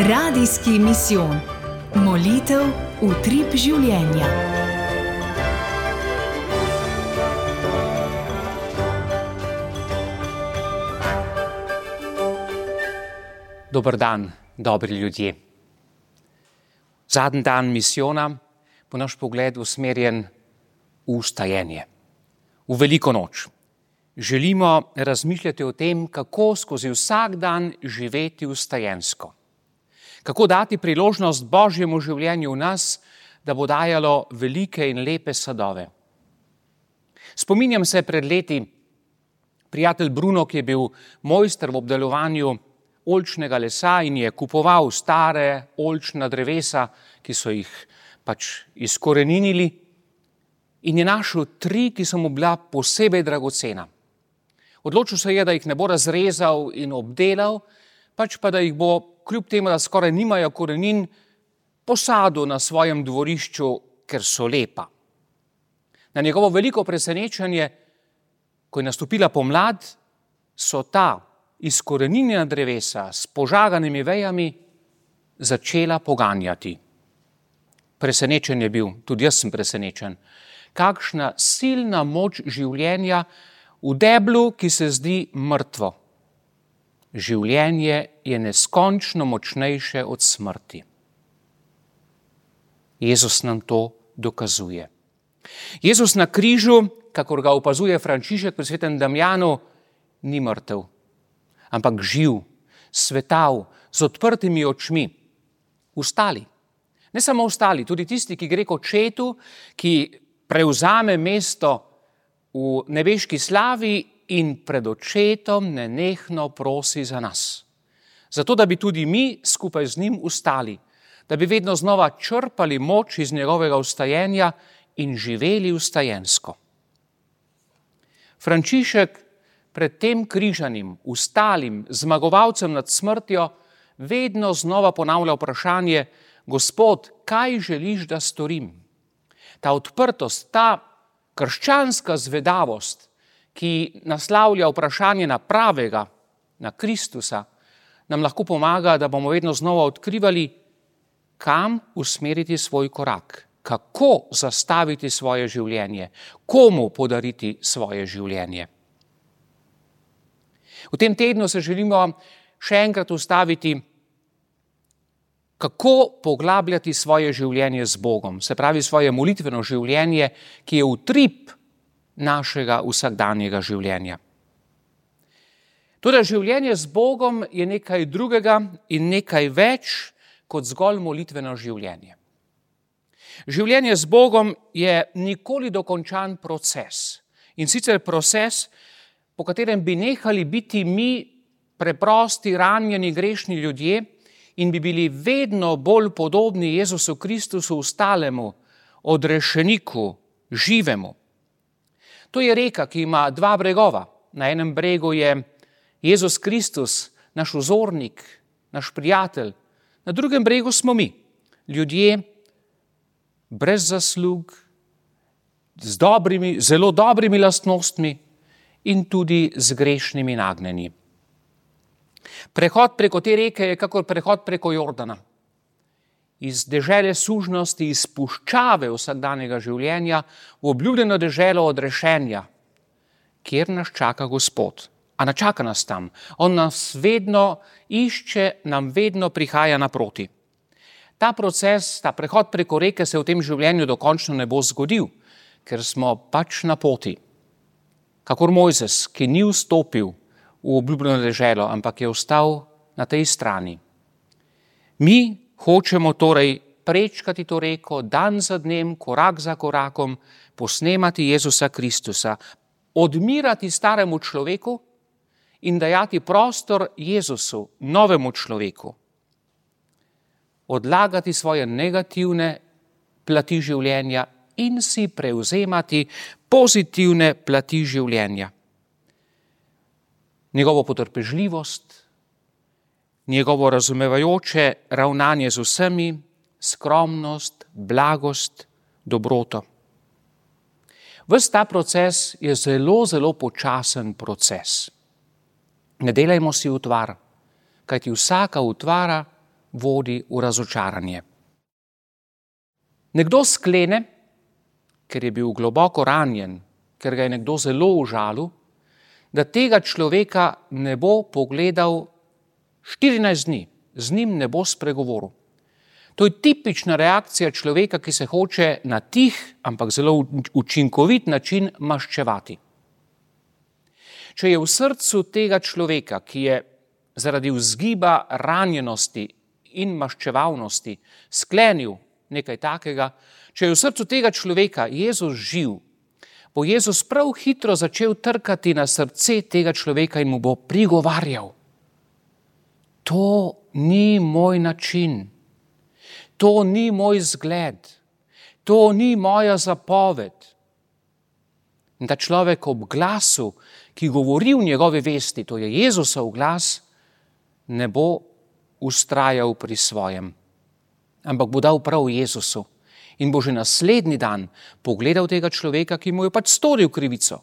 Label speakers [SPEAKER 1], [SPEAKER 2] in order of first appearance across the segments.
[SPEAKER 1] Radijski misijon. Molitev v utrip življenja.
[SPEAKER 2] Dober dan, dobri ljudje. Zadnji dan misijona bo naš pogled usmerjen v vstajenje, v veliko noč. Želimo razmišljati o tem, kako skozi vsak dan živeti vstajensko. Kako dati priložnost Božjemu življenju v nas, da bo dajalo velike in lepe sadove. Spominjam se pred leti, prijatelj Bruno, ki je bil mojster v obdelovanju oljčnega lesa in je kupoval stare oljčna drevesa, ki so jih izkoreninili, in je našel 3, ki so mu bila posebej dragocena. Odločil se je, da jih ne bo razrezal in obdelal, pač pa da jih bo, kljub temu, da skoraj nimajo korenin, posadil na svojem dvorišču, ker so lepa. Na njegovo veliko presenečenje, ko je nastopila pomlad, so ta izkoreninjena drevesa s požaganimi vejami začela poganjati. Presenečen je bil, tudi jaz sem presenečen. Kakšna silna moč življenja v deblu, ki se zdi mrtvo. Življenje je neskončno močnejše od smrti. Jezus nam to dokazuje. Jezus na križu, kakor ga opazuje Frančišek pri svetem Damjanu, ni mrtev, ampak živ, svetav, z odprtimi očmi. Vstali. Ne samo vstali, tudi tisti, ki gre k očetu, ki prevzame mesto v nebeški slavi in pred očetom nenehno prosi za nas. Zato, da bi tudi mi skupaj z njim vstali, da bi vedno znova črpali moč iz njegovega vstajenja in živeli vstajensko. Frančišek pred tem križanim, vstalim, zmagovalcem nad smrtjo, vedno znova ponavlja vprašanje: Gospod, kaj želiš, da storim? Ta odprtost, ta krščanska zvedavost, ki naslavlja vprašanje na pravega, na Kristusa, nam lahko pomaga, da bomo vedno znova odkrivali, kam usmeriti svoj korak, kako zastaviti svoje življenje, komu podariti svoje življenje. V tem tednu se želimo še enkrat ustaviti, kako poglabljati svoje življenje z Bogom, se pravi svoje molitveno življenje, ki je utrip našega vsakdanjega življenja. Toda življenje z Bogom je nekaj drugega in nekaj več kot zgolj molitveno življenje. Življenje z Bogom je nikoli dokončan proces. In sicer proces, po katerem bi nehali biti mi preprosti, ranjeni, grešni ljudje in bi bili vedno bolj podobni Jezusu Kristusu, ustalemu, odrešeniku, živemu. To je reka, ki ima 2 bregova. Na enem bregu je Jezus Kristus, naš vzornik, naš prijatelj. Na drugem bregu smo mi, ljudje brez zaslug, z zelo dobrimi lastnostmi in tudi z grešnimi nagnjenji. Prehod preko te reke je kakor prehod preko Jordana. Iz dežele sužnosti, iz puščave vsakdanjega življenja v obljubljeno deželo odrešenja, kjer nas čaka Gospod. A ne čaka nas tam. On nas vedno išče, nam vedno prihaja naproti. Ta proces, ta prehod preko reke se v tem življenju dokončno ne bo zgodil, ker smo na poti. Kakor Mojzes, ki ni vstopil v obljubljeno deželo, ampak je ostal na tej strani. Mi hočemo torej prečkati to reko dan za dnem, korak za korakom, posnemati Jezusa Kristusa, odmirati staremu človeku in dajati prostor Jezusu, novemu človeku. Odlagati svoje negativne plati življenja in si prevzemati pozitivne plati življenja. Njegovo potrpežljivost, njegovo razumevajoče ravnanje z vsemi, skromnost, blagost, dobroto. Ves ta proces je zelo, zelo počasen proces. Ne delajmo si utvar, kajti vsaka utvara vodi v razočaranje. Nekdo sklene, ker je bil globoko ranjen, ker ga je nekdo zelo užalil, da tega človeka ne bo pogledal 14 dni, z njim ne bo spregovoril. To je tipična reakcija človeka, ki se hoče na tih, ampak zelo učinkovit način maščevati. Če je v srcu tega človeka, ki je zaradi vzgiba ranjenosti in maščevalnosti sklenil nekaj takega, če je v srcu tega človeka Jezus živ, bo Jezus prav hitro začel trkati na srce tega človeka in mu bo prigovarjal. To ni moj način, to ni moj zgled, to ni moja zapoved. In ta človek ob glasu, ki govori v njegovi vesti, to je Jezusov glas, ne bo vztrajal pri svojem, ampak bo dal prav Jezusu in bo že naslednji dan pogledal tega človeka, ki mu je pač storil krivico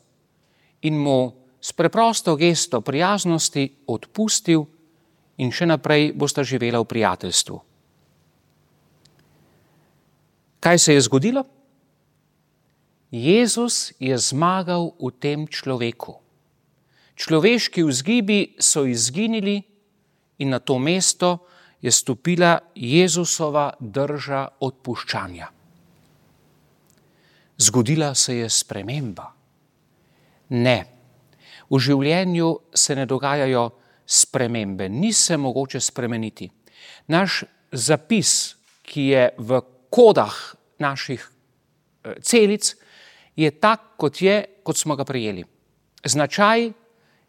[SPEAKER 2] in mu s preprosto gesto prijaznosti odpustil in še naprej bosta živela v prijateljstvu. Kaj se je zgodilo? Jezus je zmagal v tem človeku. Človeški vzgibi so izginili in na to mesto je stopila Jezusova drža odpuščanja. Zgodila se je sprememba. Ne, v življenju se ne dogajajo spremembe, ni se mogoče spremeniti. Naš zapis, ki je v kodah naših celic, je tak, kot smo ga prejeli. Značaj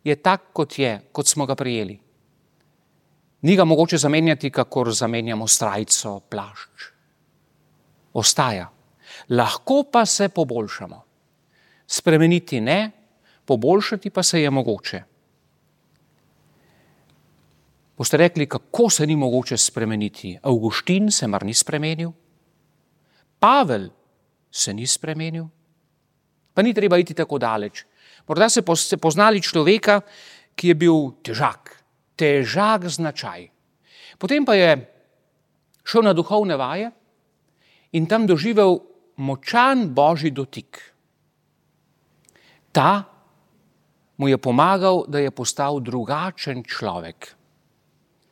[SPEAKER 2] je tak, kot smo ga prejeli. Ni ga mogoče zamenjati, kakor zamenjamo srajco, plašč. Ostaja. Lahko pa se poboljšamo. Spremeniti ne, poboljšati pa se je mogoče. Boste rekli, kako se ni mogoče spremeniti? Avguštin se mar ni spremenil? Pavel se ni spremenil? Pa ni treba iti tako daleč. Morda ste poznali človeka, ki je bil težak značaj. Potem pa je šel na duhovne vaje in tam doživel močan božji dotik. Ta mu je pomagal, da je postal drugačen človek.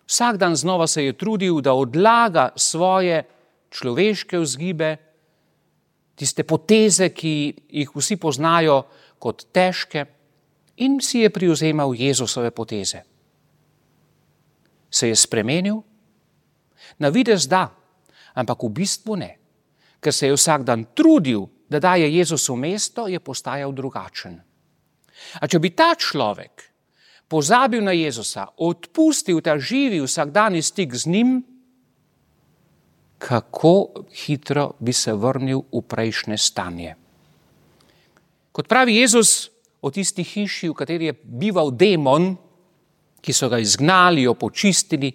[SPEAKER 2] Vsak dan znova se je trudil, da odlaga svoje človeške vzgibe, tiste poteze, ki jih vsi poznajo kot težke, in si je privzemal Jezusove poteze. Se je spremenil? Na videz da, ampak v bistvu ne. Ker se je vsak dan trudil, da daje Jezusu mesto, je postajal drugačen. A če bi ta človek pozabil na Jezusa, odpustil ta živi vsakdanji stik z njim, kako hitro bi se vrnil v prejšnje stanje. Kot pravi Jezus o tisti hiši, v kateri je bival demon, ki so ga izgnali, jo počistili,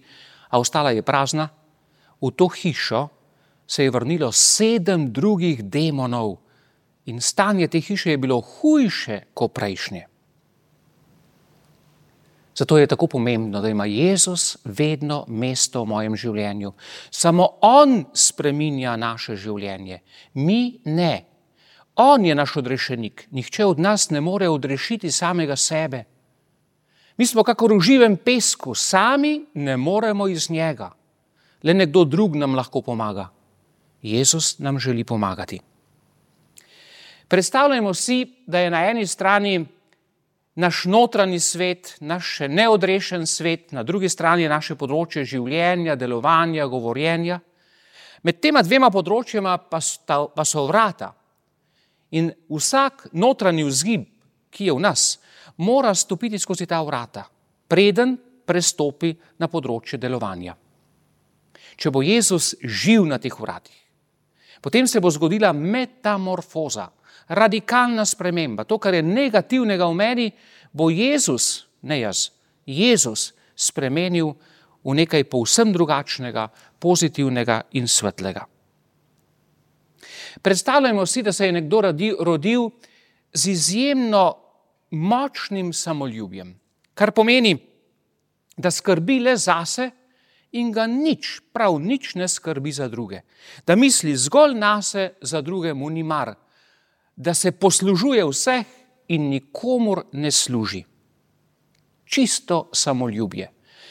[SPEAKER 2] a ostala je prazna, v to hišo se je vrnilo 7 drugih demonov in stanje te hiše je bilo hujše kot prejšnje. Zato je tako pomembno, da ima Jezus vedno mesto v mojem življenju. Samo on spreminja naše življenje, mi ne. On je naš odrešenik, nihče od nas ne more odrešiti samega sebe. Mi smo kakor v živem pesku, sami ne moremo iz njega. Le nekdo drug nam lahko pomaga. Jezus nam želi pomagati. Predstavljajmo si, da je na eni strani naš notranji svet, naš še neodrešen svet, na drugi strani naše področje življenja, delovanja, govorjenja. Med tema dvema področjema pa so vrata. In vsak notranji vzgib, ki je v nas, mora stopiti skozi ta vrata, preden prestopi na področje delovanja. Če bo Jezus živ na teh vratih, potem se bo zgodila metamorfoza, radikalna sprememba. To, kar je negativnega v meni, bo Jezus, ne jaz, Jezus spremenil v nekaj povsem drugačnega, pozitivnega in svetlega. Predstavljajmo si, da se je nekdo rodil z izjemno močnim samoljubjem, kar pomeni, da skrbi le zase in ga nič, prav nič ne skrbi za druge. Da misli zgolj nase, za druge mu ni mar. Da se poslužuje vseh in nikomur ne služi. Čisto samoljubje,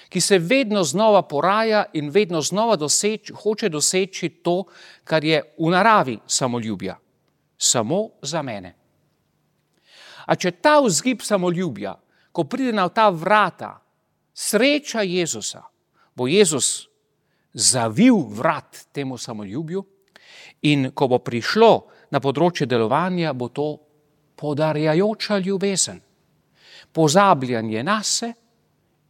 [SPEAKER 2] ki se vedno znova poraja in vedno znova hoče doseči to, kar je v naravi samoljubja. Samo za mene. A če ta vzgib samoljubja, ko pride na ta vrata, sreča Jezusa, bo Jezus zavil vrat temu samoljubju in ko bo prišlo na področje delovanja, bo to podarjajoča ljubezen, pozabljanje nase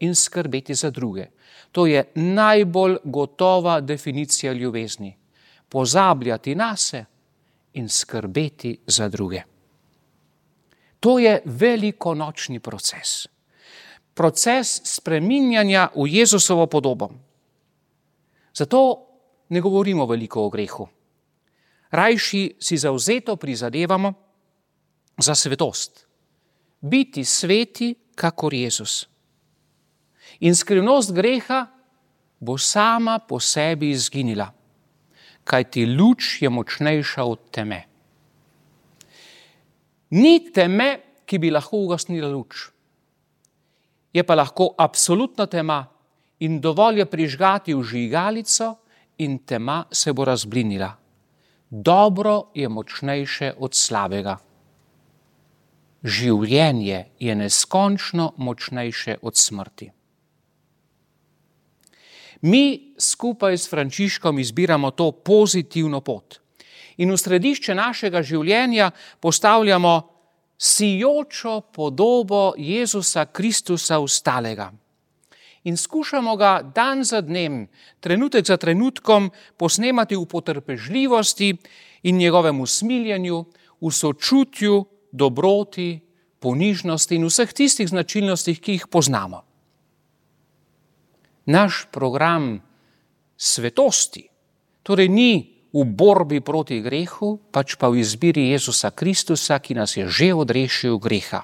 [SPEAKER 2] in skrbeti za druge. To je najbolj gotova definicija ljubezni. Pozabljati nase in skrbeti za druge. To je velikonočni proces. Proces spreminjanja v Jezusovo podobo. Zato ne govorimo veliko o grehu. Rajši si zavzeto prizadevamo za svetost. Biti sveti, kakor Jezus. In skrivnost greha bo sama po sebi izginila, kajti luč je močnejša od teme. Ni teme, ki bi lahko ugasnila luč. Je pa lahko absolutna tema in dovolj je prižgati vžigalico in tema se bo razblinila. Dobro je močnejše od slabega. Življenje je neskončno močnejše od smrti. Mi skupaj s Frančiškom izbiramo to pozitivno pot in v središče našega življenja postavljamo sijočo podobo Jezusa Kristusa vstalega. In skušamo ga dan za dnem, trenutek za trenutkom posnemati v potrpežljivosti in njegovem usmiljenju, v sočutju, dobroti, ponižnosti in vseh tistih značilnostih, ki jih poznamo. Naš program svetosti torej ni v borbi proti grehu, pač pa v izbiri Jezusa Kristusa, ki nas je že odrešil greha.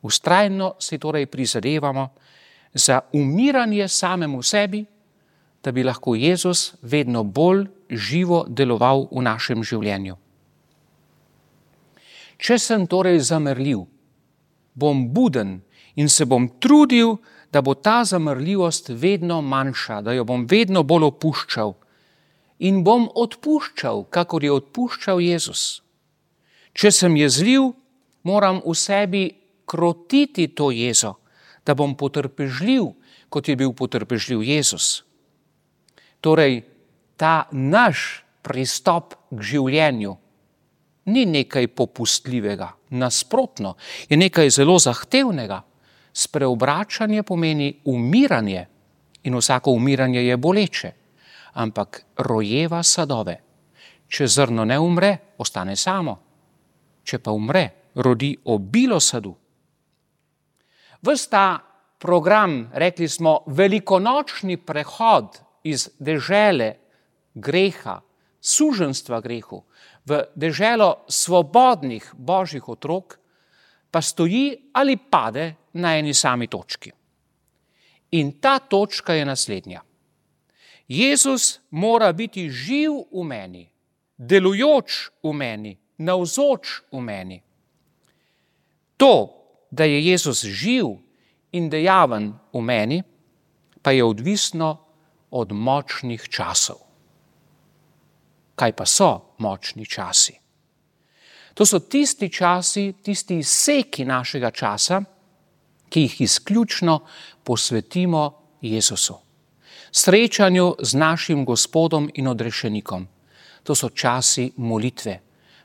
[SPEAKER 2] Vztrajno si torej prizadevamo za umiranje samemu sebi, da bi lahko Jezus vedno bolj živo deloval v našem življenju. Če sem torej zamrljiv, bom buden in se bom trudil, da bo ta zamrljivost vedno manjša, da jo bom vedno bolj opuščal in bom odpuščal, kakor je odpuščal Jezus. Če sem jezljiv, moram v sebi krotiti to jezo, da bom potrpežljiv, kot je bil potrpežljiv Jezus. Torej, ta naš pristop k življenju ni nekaj popustljivega, nasprotno, je nekaj zelo zahtevnega. Spreobračanje pomeni umiranje in vsako umiranje je boleče, ampak rojeva sadove. Če zrno ne umre, ostane samo. Če pa umre, rodi obilo sadu. Ves ta program, rekli smo, velikonočni prehod iz dežele greha, suženjstva grehu, v deželo svobodnih božjih otrok, pa stoji ali pade na eni sami točki. In ta točka je naslednja. Jezus mora biti živ v meni, delujoč v meni, navzoč v meni. To, da je Jezus živ in dejaven v meni, pa je odvisno od močnih časov. Kaj pa so močni časi? To so tisti časi, tisti izseki našega časa, ki jih izključno posvetimo Jezusu. Srečanju z našim Gospodom in odrešenikom. To so časi molitve,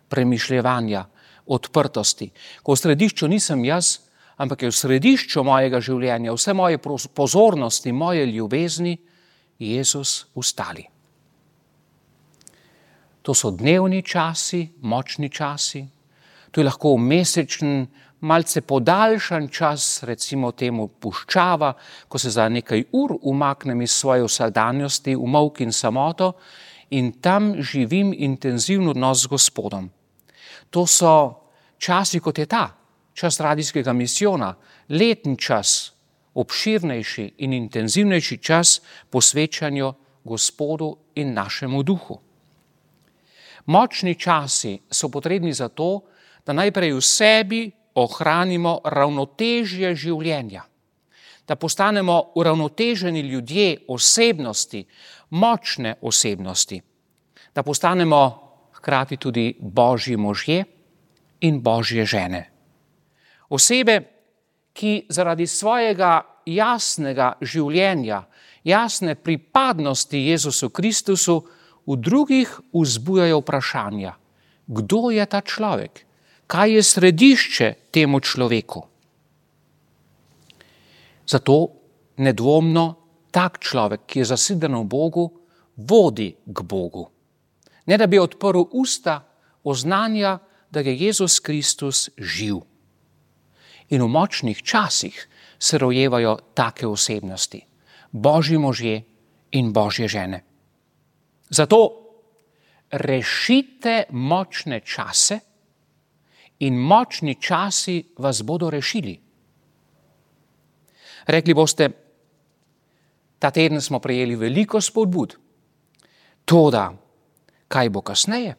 [SPEAKER 2] premišljevanja, odprtosti. Ko v središču nisem jaz, ampak je v središču mojega življenja, vse moje pozornosti, moje ljubezni, Jezus vstali. To so dnevni časi, močni časi. To je lahko mesečen, malce podaljšan čas, recimo temu puščava, ko se za nekaj ur umaknem iz svoje vsakdanjosti v molk in samoto in tam živim intenzivno odnos z Gospodom. To so časi, kot je ta, čas radijskega misijona, letni čas obširnejši in intenzivnejši čas posvečanju Gospodu in našemu duhu. Močni časi so potrebni zato, da najprej v sebi ohranimo ravnotežje življenja, da postanemo uravnoteženi ljudje, osebnosti, močne osebnosti, da postanemo hkrati tudi Božji možje in Božje žene. Osebe, ki zaradi svojega jasnega življenja, jasne pripadnosti Jezusu Kristusu v drugih vzbujajo vprašanja, kdo je ta človek, kaj je središče temu človeku. Zato nedvomno tak človek, ki je zaseden v Bogu, vodi k Bogu. Ne da bi odprl usta, oznanja, da je Jezus Kristus živ. In v močnih časih se rojevajo take osebnosti, Božji možje in Božje žene. Zato rešite močne čase in močni časi vas bodo rešili. Rekli boste, ta teden smo prejeli veliko spodbud. Toda, kaj bo kasneje?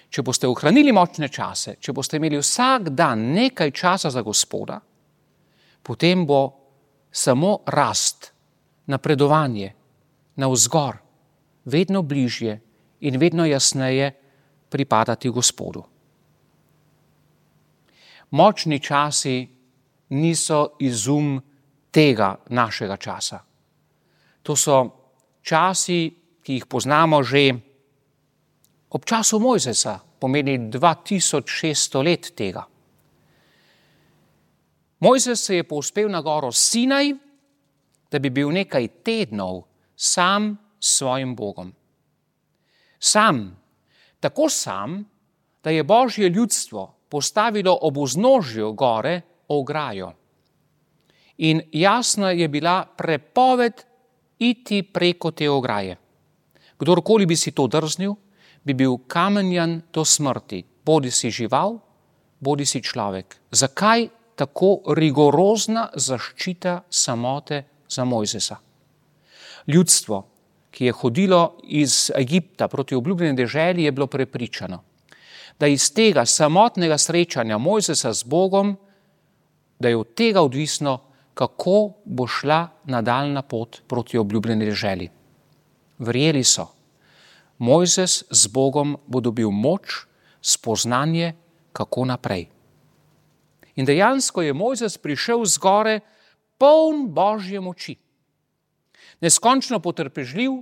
[SPEAKER 2] Če boste ohranili močne čase, če boste imeli vsak dan nekaj časa za Gospoda, potem bo samo rast, napredovanje, navzgor, vedno bližje in vedno jasneje pripadati Gospodu. Močni časi niso izum tega našega časa. To so časi, ki jih poznamo že ob času Mojzesa, pomeni 2600 let tega. Mojzes se je povzpel na goro Sinaj, da bi bil nekaj tednov sam s svojim Bogom. Sam, tako sam, da je Božje ljudstvo postavilo ob vznožju gore ograjo. In jasna je bila prepoved iti preko te ograje. Kdorkoli bi si to drznil, bi bil kamenjan do smrti, bodi si žival, bodi si človek. Zakaj tako rigorozna zaščita samote za Mojzesa? Ljudstvo, ki je hodilo iz Egipta proti obljubljeni deželi, je bilo prepričano, da iz tega samotnega srečanja Mojzesa z Bogom, da je od tega odvisno, kako bo šla nadaljna pot proti obljubljeni deželi. Verjeli so, Mojzes z Bogom bo dobil moč, spoznanje, kako naprej. In dejansko je Mojzes prišel z gore poln Božje moči. Neskončno potrpežljiv,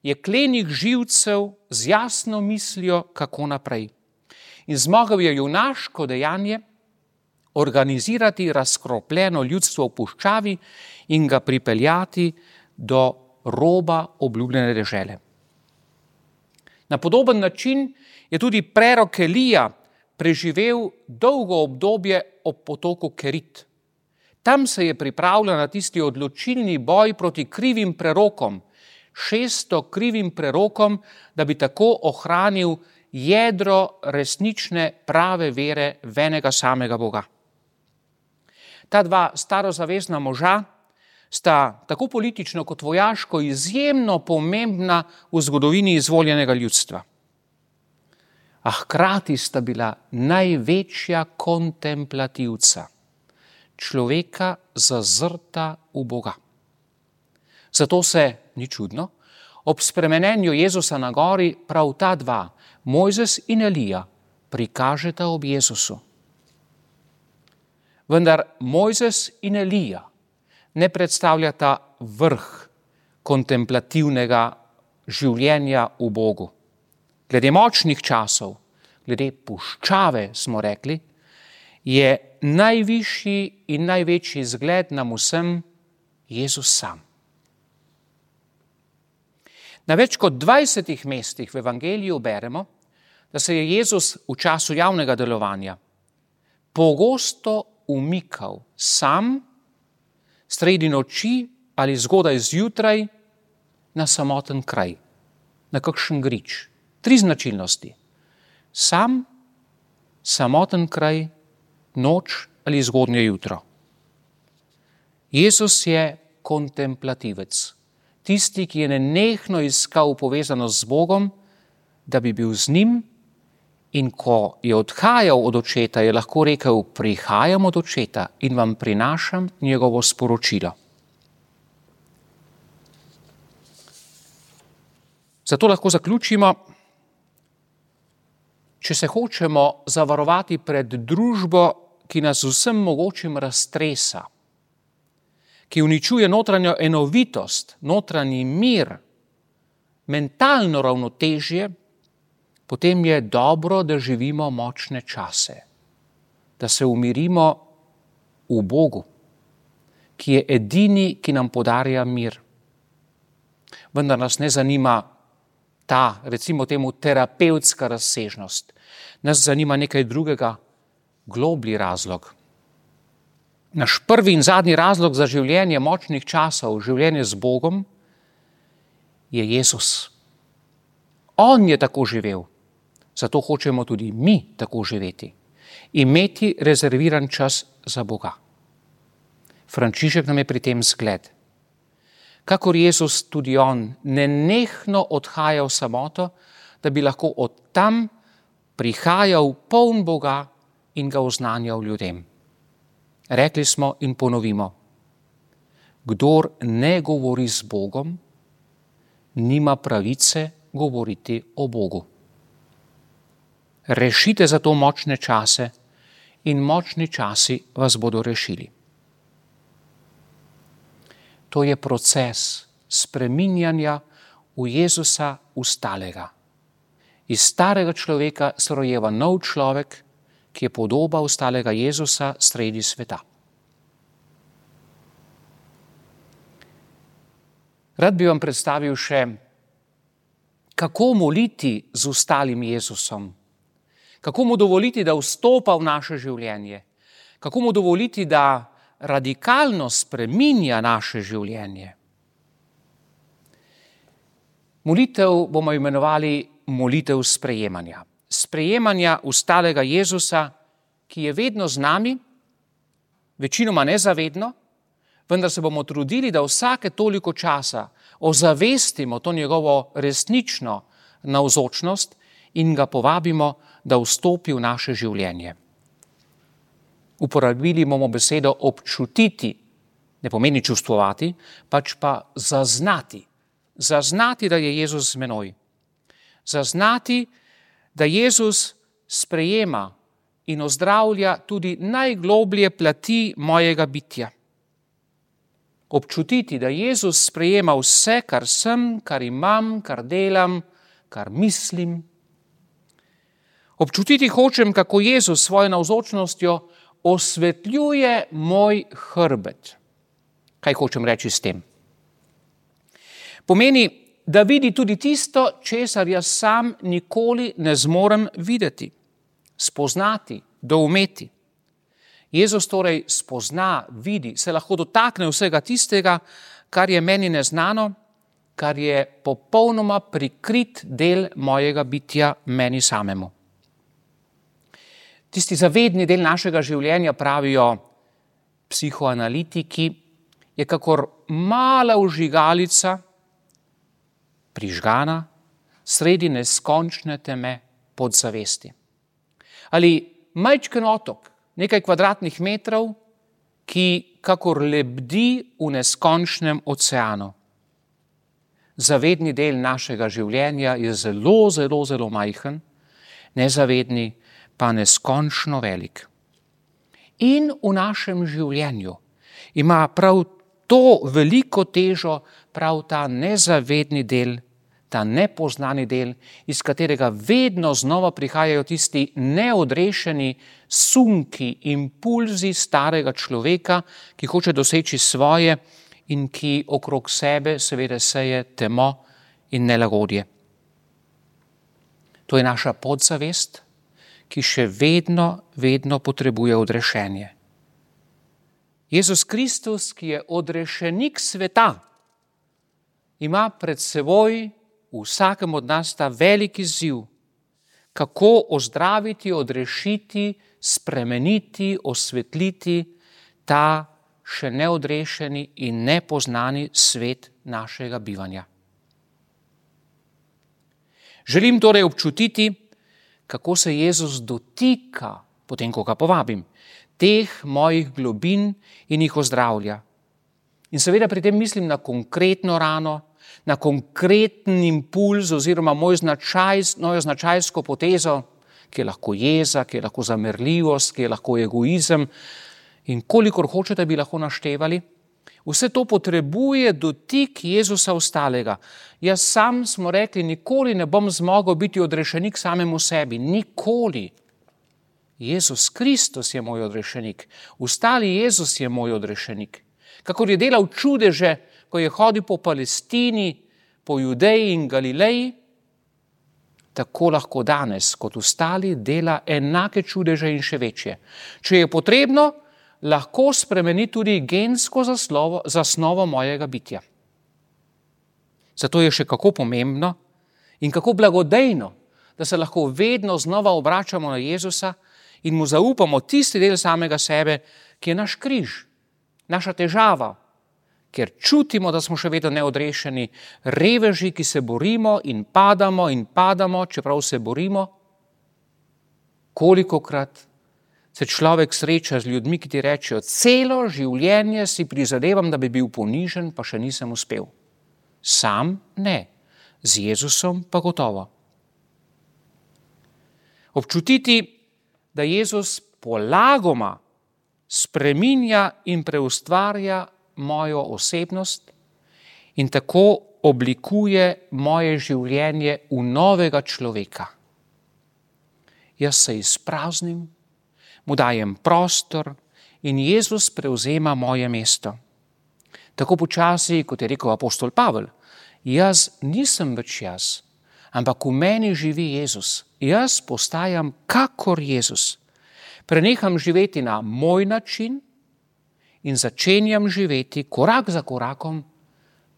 [SPEAKER 2] jeklenih živcev z jasno mislijo, kako naprej. In zmogel je junaško dejanje organizirati razkropljeno ljudstvo v puščavi in ga pripeljati do roba obljubljene dežele. Na podoben način je tudi prerok Elija preživel dolgo obdobje ob potoku Kerit. Tam se je pripravljal na tisti odločilni boj proti krivim prerokom, 600 krivim prerokom, da bi tako ohranil jedro resnične prave vere v enega samega Boga. Ta dva starozavezna moža sta tako politično kot vojaško izjemno pomembna v zgodovini izvoljenega ljudstva. A hkrati sta bila največja kontemplativca, človeka zazrta v Boga. Zato se, ni čudno, ob spremenenju Jezusa na gori prav ta dva, Mojzes in Elija, prikažeta ob Jezusu. Vendar Mojzes in Elija ne predstavljata vrh kontemplativnega življenja v Bogu. Glede močnih časov, glede puščave, smo rekli, je najvišji in največji zgled nam vsem Jezus sam. Na več kot 20 mestih v Evangeliju beremo, da se je Jezus v času javnega delovanja pogosto umikal sam, sredi noči ali zgodaj zjutraj na samoten kraj, na kakšen grič. 3 značilnosti. Sam, samoten kraj, noč ali zgodnje jutro. Jezus je kontemplativec, tisti, ki je nenehno iskal povezanost z Bogom, da bi bil z njim, in ko je odhajal od očeta, je lahko rekel, prihajam od očeta in vam prinašam njegovo sporočilo. Zato lahko zaključimo, če se hočemo zavarovati pred družbo, ki nas vsem mogočim raztresa, ki uničuje notranjo enovitost, notranji mir, mentalno ravnotežje, potem je dobro, da živimo močne čase, da se umirimo v Bogu, ki je edini, ki nam podarja mir. Vendar nas ne zanima ta, recimo temu, terapevtska razsežnost. Nas zanima nekaj drugega, globlji razlog. Naš prvi in zadnji razlog za življenje močnih časov, življenje z Bogom, je Jezus. On je tako živel, zato hočemo tudi mi tako živeti. Imeti rezerviran čas za Boga. Frančišek nam je pri tem zgled. Kakor Jezus, tudi on nenehno odhaja v samoto, da bi lahko od tam prihajal poln Boga in ga oznanjal ljudem. Rekli smo in ponovimo, kdor ne govori z Bogom, nima pravice govoriti o Bogu. Rešite za to močne čase in močni časi vas bodo rešili. To je proces spreminjanja v Jezusa ustalega. Iz starega človeka se rojeva nov človek, ki je podoba ustalega Jezusa sredi sveta. Rad bi vam predstavil še, kako moliti z ustalim Jezusom, kako mu dovoliti, da vstopa v naše življenje, kako mu dovoliti, da radikalno spreminja naše življenje. Molitev bomo imenovali molitev sprejemanja. Sprejemanja ustalega Jezusa, ki je vedno z nami, večinoma nezavedno, vendar se bomo trudili, da vsake toliko časa ozavestimo to njegovo resnično navzočnost in ga povabimo, da vstopi v naše življenje. Uporabili bomo besedo občutiti, ne pomeni čustvovati, pač pa zaznati. Zaznati, da je Jezus z menoj. Zaznati, da Jezus sprejema in ozdravlja tudi najgloblje plati mojega bitja. Občutiti, da Jezus sprejema vse, kar sem, kar imam, kar delam, kar mislim. Občutiti hočem, kako Jezus s svojo navzočnostjo osvetljuje moj hrbet. Kaj hočem reči s tem? Pomeni, da vidi tudi tisto, česar jaz sam nikoli ne zmorem videti, spoznati, doumeti. Jezus torej spozna, vidi, se lahko dotakne vsega tistega, kar je meni neznano, kar je popolnoma prikrit del mojega bitja meni samemu. Tisti zavedni del našega življenja, pravijo psihoanalitiki, je kakor mala vžigalica, prižgana sredi neskončne teme podzavesti. Ali majčken otok, nekaj kvadratnih metrov, ki kakor lebdi v neskončnem oceanu. Zavedni del našega življenja je zelo, zelo, zelo majhen, nezavedni pa neskončno velik. In v našem življenju ima prav to veliko težo, prav ta nezavedni del, ta nepoznani del, iz katerega vedno znova prihajajo tisti neodrešeni sunki, impulzi starega človeka, ki hoče doseči svoje in ki okrog sebe seveda seje temo in nelagodje. To je naša podzavest, ki še vedno potrebuje odrešenje. Jezus Kristus, ki je odrešenik sveta, ima pred seboj vsakem od nas ta veliki izziv, kako ozdraviti, odrešiti, spremeniti, osvetliti ta še neodrešeni in nepoznani svet našega bivanja. Želim torej občutiti, kako se Jezus dotika, potem ko ga povabim, teh mojih globin in jih ozdravlja. In seveda pri tem mislim na konkretno rano, na konkreten impuls oziroma mojo značajsko potezo, ki je lahko jeza, ki je lahko zamerljivost, ki je lahko egoizem in kolikor hočete bi lahko naštevali. Vse to potrebuje dotik Jezusa ostalega. Jaz sam, smo rekli, nikoli ne bom zmogel biti odrešenik samemu sebi. Nikoli. Jezus Kristus je moj odrešenik. Ostali Jezus je moj odrešenik. Kakor je delal čudeže, ko je hodil po Palestini, po Judeji in Galileji, tako lahko danes, kot ostali, dela enake čudeže in še večje. Če je potrebno, lahko spremeni tudi gensko zasnovo mojega bitja. Zato je še kako pomembno in kako blagodejno, da se lahko vedno znova obračamo na Jezusa in mu zaupamo tisti del samega sebe, ki je naš križ, naša težava, ker čutimo, da smo še vedno neodrešeni, reveži, ki se borimo in padamo, čeprav se borimo. Kolikokrat se človek sreča z ljudmi, ki ti rečejo, celo življenje si prizadevam, da bi bil ponižen, pa še nisem uspel. Sam ne, z Jezusom pa gotovo. Občutiti, da Jezus polagoma spreminja in preustvarja mojo osebnost in tako oblikuje moje življenje v novega človeka. Jaz se izpraznim, mu dajem prostor in Jezus prevzema moje mesto. Tako počasi, kot je rekel apostol Pavel, jaz nisem več jaz, ampak v meni živi Jezus. Jaz postajam kakor Jezus. Preneham živeti na moj način in začenjam živeti korak za korakom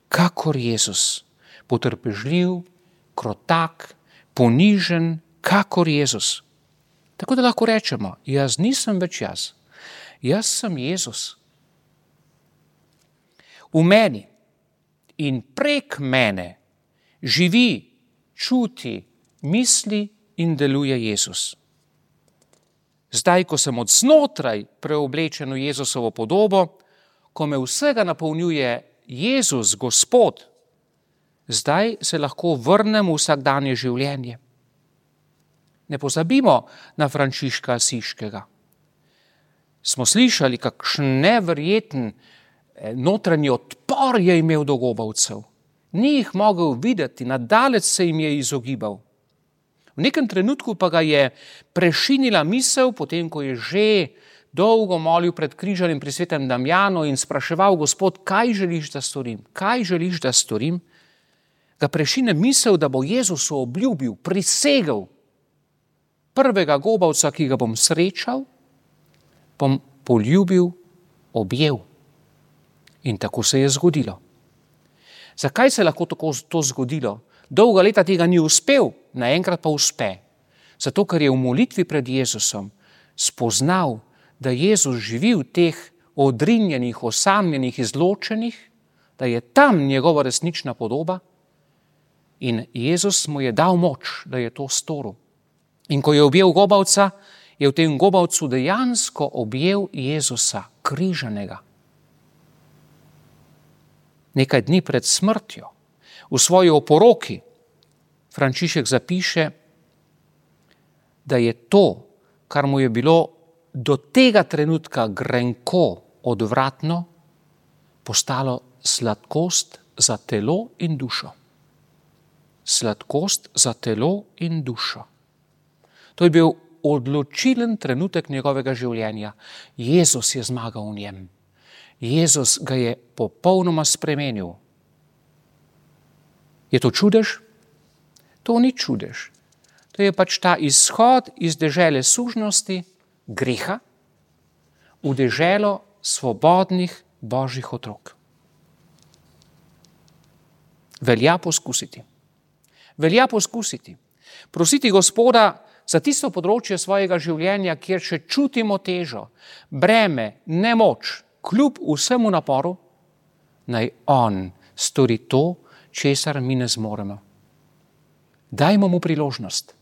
[SPEAKER 2] kakor Jezus. Potrpežljiv, krotak, ponižen, kakor Jezus. Tako da lahko rečemo, jaz nisem več jaz sem Jezus. V meni in prek mene živi, čuti, misli in deluje Jezus. Zdaj, ko sem od znotraj preoblečen v Jezusovo podobo, ko me vsega napolnjuje Jezus, Gospod, zdaj se lahko vrnem v vsakdanje življenje. Ne pozabimo na Frančiška Asiškega. Smo slišali, kakšen neverjeten notranji odpor je imel do gobavcev. Ni jih mogel videti, nadalec se jim je izogibal. V nekem trenutku pa ga je prešinila misel, potem ko je že dolgo molil pred križanjem pri svetem Damjanu in spraševal, Gospod, kaj želiš, da storim? Kaj želiš, da storim? Ga prešine misel, da bo Jezus obljubil, prisegel, prvega gobavca, ki ga bom srečal, bom poljubil, objel. In tako se je zgodilo. Zakaj se lahko tako to zgodilo? Dolga leta tega ni uspel, naenkrat pa uspe. Zato, ker je v molitvi pred Jezusom spoznal, da Jezus živi v teh odrinjenih, osamljenih, izločenih, da je tam njegova resnična podoba in Jezus mu je dal moč, da je to storil. In ko je objel gobavca, je v tem gobavcu dejansko objel Jezusa, križanega. Nekaj dni pred smrtjo, v svoji oporoki, Frančišek zapiše, da je to, kar mu je bilo do tega trenutka grenko, odvratno, postalo sladkost za telo in dušo. Sladkost za telo in dušo. To je bil odločilen trenutek njegovega življenja. Jezus je zmagal v njem. Jezus ga je popolnoma spremenil. Je to čudež? To ni čudež. To je pač ta izhod iz dežele sužnosti, greha, v deželo svobodnih Božjih otrok. Velja poskusiti. Velja poskusiti. Prositi Gospoda za tisto področje svojega življenja, kjer še čutimo težo, breme, nemoč, kljub vsemu naporu, naj on stori to, česar mi ne zmoremo. Dajmo mu priložnost,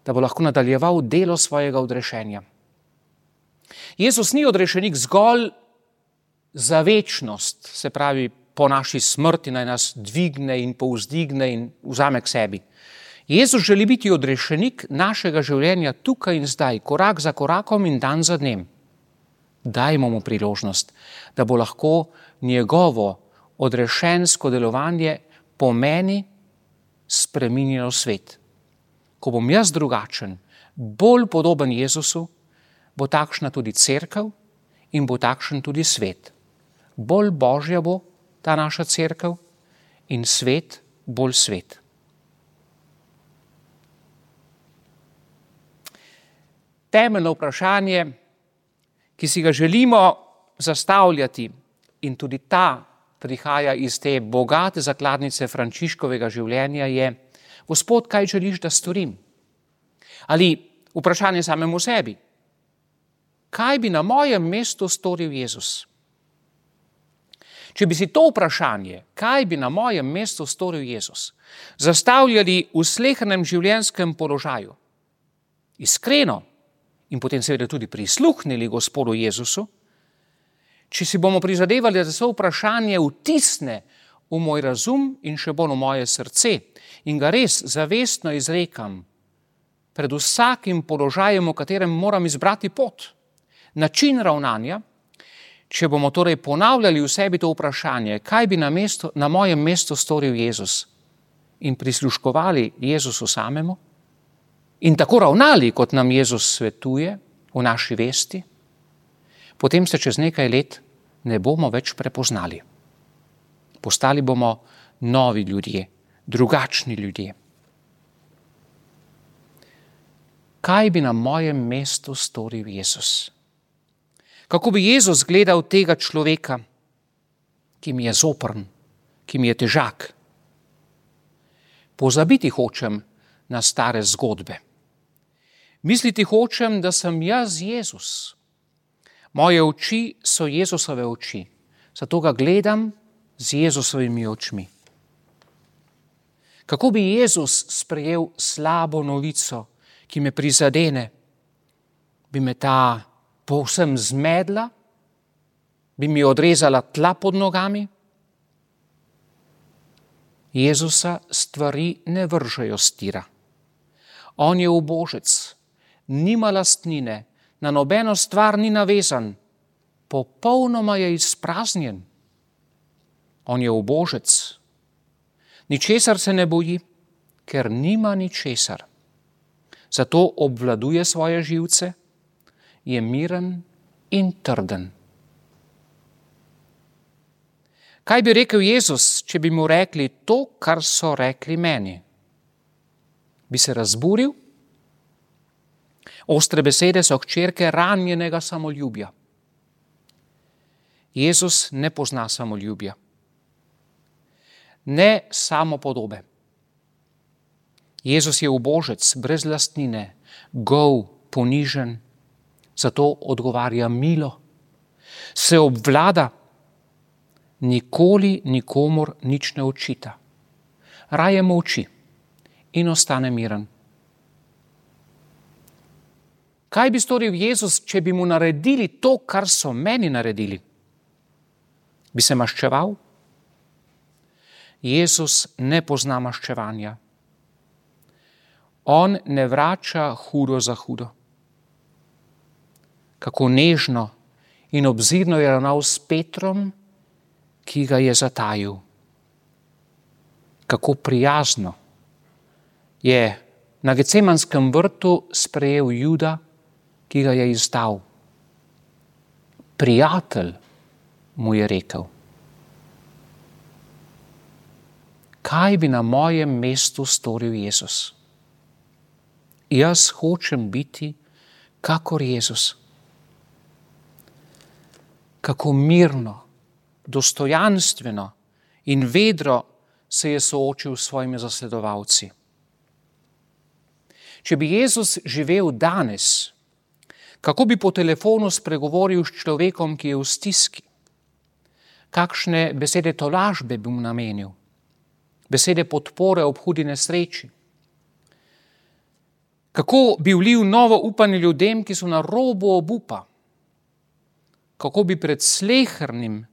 [SPEAKER 2] da bo lahko nadaljeval delo svojega odrešenja. Jezus ni odrešenik zgolj za večnost, se pravi, po naši smrti naj nas dvigne in povzdigne in vzame k sebi. Jezus želi biti odrešenik našega življenja tukaj in zdaj, korak za korakom in dan za dnem. Dajmo mu priložnost, da bo lahko njegovo odrešensko delovanje po meni spreminjalo svet. Ko bom jaz drugačen, bolj podoben Jezusu, bo takšna tudi cerkev in bo takšen tudi svet. Bolj božja bo ta naša cerkev in svet bolj svet. Temeljno vprašanje, ki si ga želimo zastavljati, in tudi ta prihaja iz te bogate zakladnice Frančiškovega življenja, je: Gospod, kaj želiš, da storim? Ali vprašanje samemu sebi: kaj bi na mojem mestu storil Jezus? Če bi si to vprašanje, kaj bi na mojem mestu storil Jezus, zastavljali v slehernem življenjskem položaju, iskreno, in potem seveda tudi prisluhnili Gospodu Jezusu, če si bomo prizadevali, da se vprašanje vtisne v moj razum in še bolj v moje srce in ga res zavestno izrekam pred vsakim položajem, v katerem moram izbrati pot, način ravnanja, če bomo torej ponavljali v sebi to vprašanje, kaj bi na mojem mestu storil Jezus, in prisluškovali Jezusu samemu, in tako ravnali, kot nam Jezus svetuje v naši vesti, potem se čez nekaj let ne bomo več prepoznali. Postali bomo novi ljudje, drugačni ljudje. Kaj bi na mojem mestu storil Jezus? Kako bi Jezus gledal tega človeka, ki mi je zoprn, ki mi je težak? Pozabiti hočem na stare zgodbe. Misliti hočem, da sem jaz Jezus. Moje oči so Jezusove oči, zato ga gledam z Jezusovimi očmi. Kako bi Jezus sprejel slabo novico, ki me prizadene? Bi me ta povsem zmedla? Bi mi odrezala tla pod nogami? Jezusa stvari ne vržejo s tira. On je ubožec, nima lastnine, na nobeno stvar ni navezan, popolnoma je izpraznjen. On je ubožec, ničesar se ne boji, ker nima ničesar. Zato obvladuje svoje živce, je miren in trden. Kaj bi rekel Jezus, če bi mu rekli to, kar so rekli meni? Bi se razburil? Ostre besede so hčerke ranjenega samoljubja. Jezus ne pozna samoljubja, ne samopodobe. Jezus je ubožec, brez lastnine, gol, ponižen, zato odgovarja milo, se obvlada, nikoli nikomur nič ne očita. Raje molči in ostane miren. Kaj bi storil Jezus, če bi mu naredili to, kar so meni naredili? Bi se maščeval? Jezus ne pozna maščevanja. On ne vrača hudo za hudo. Kako nežno in obzirno je ravnal s Petrom, ki ga je zatajil. Kako prijazno je na Gecemanskem vrtu sprejel Juda, ki ga je izdal. Prijatelj, mu je rekel. Kaj bi na mojem mestu storil Jezus? Jaz hočem biti kakor Jezus. Kako mirno, dostojanstveno in vedro se je soočil s svojimi zasledovalci. Če bi Jezus živel danes, kako bi po telefonu spregovoril s človekom, ki je v stiski, Kakšne besede tolažbe bi mu namenil? Besede podpore ob hudi nesreči? Kako bi vlil novo upanje ljudem, ki so na robu obupa? Kako bi pred slehernim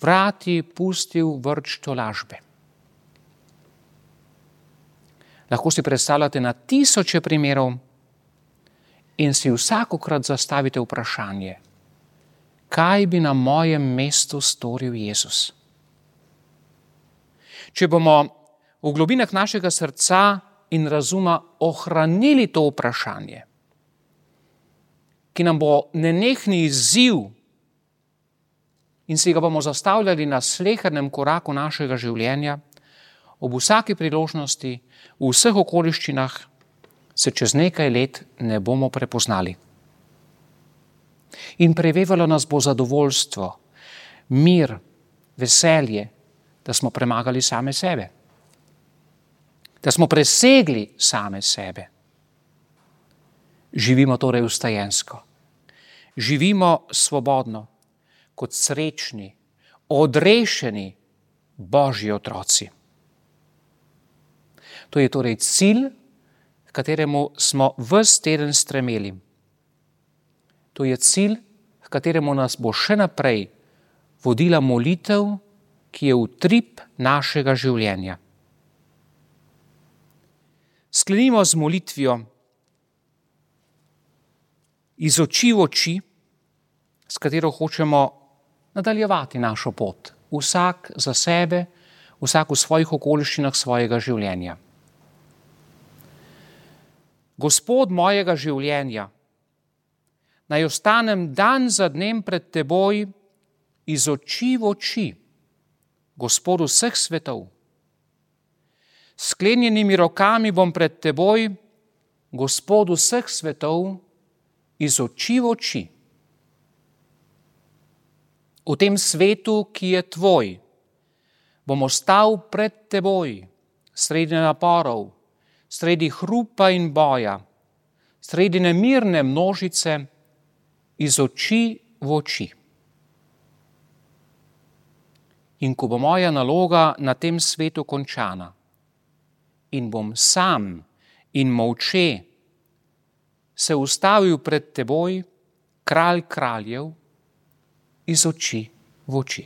[SPEAKER 2] vrati pustil vrč tolažbe? Lahko si predstavljate na tisoče primerov in si vsakokrat zastavite vprašanje, kaj bi na mojem mestu storil Jezus? Če bomo v globinah našega srca in razuma ohranili to vprašanje, ki nam bo nenehni izziv in si ga bomo zastavljali na slehernem koraku našega življenja, ob vsaki priložnosti, v vseh okoliščinah, se čez nekaj let ne bomo prepoznali. In prevevalo nas bo zadovoljstvo, mir, veselje, da smo premagali same sebe. Da smo presegli same sebe. Živimo torej vstajensko. Živimo svobodno, kot srečni, odrešeni Božji otroci. To je torej cilj, k kateremu smo ves teden stremeli. To je cilj, k kateremu nas bo še naprej vodila molitev, ki je utrip našega življenja. Sklenimo z molitvijo iz oči v oči, s katero hočemo nadaljevati našo pot. Vsak za sebe, vsak v svojih okoliščinah svojega življenja. Gospod mojega življenja, naj ostanem dan za dnem pred teboj iz oči v oči, Gospodu vseh svetov. Sklenjenimi rokami bom pred teboj, Gospodu vseh svetov, iz oči v oči. V tem svetu, ki je tvoj, bom ostal pred teboj, sredi naporov, sredi hrupa in boja, sredi nemirne množice, iz oči v oči. In ko bo moja naloga na tem svetu končana in bom sam in molče se ustavil pred teboj, kralj kraljev, iz oči v oči.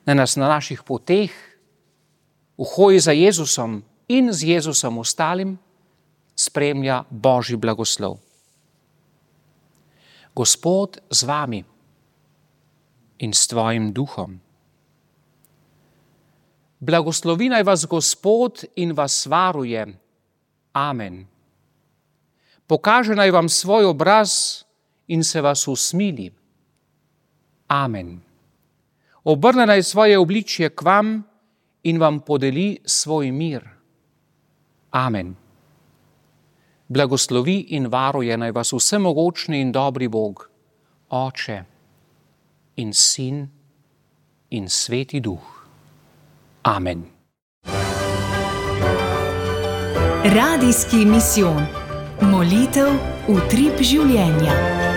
[SPEAKER 2] Naj nas na naših poteh, v hoji za Jezusom in z Jezusom ostalim, spremlja Božji blagoslov. Gospod z vami in s tvojim duhom. Blagoslovi naj vas Gospod in vas varuje. Amen. Pokaže naj vam svoj obraz in se vas usmili. Amen. Obrne naj svoje obličje k vam in vam podeli svoj mir. Amen. Blagoslovi in varuje naj vas vsemogočni in dobri Bog, Oče in Sin in Sveti Duh. Amen.
[SPEAKER 1] Radijski misijon. Molitev utrip življenja.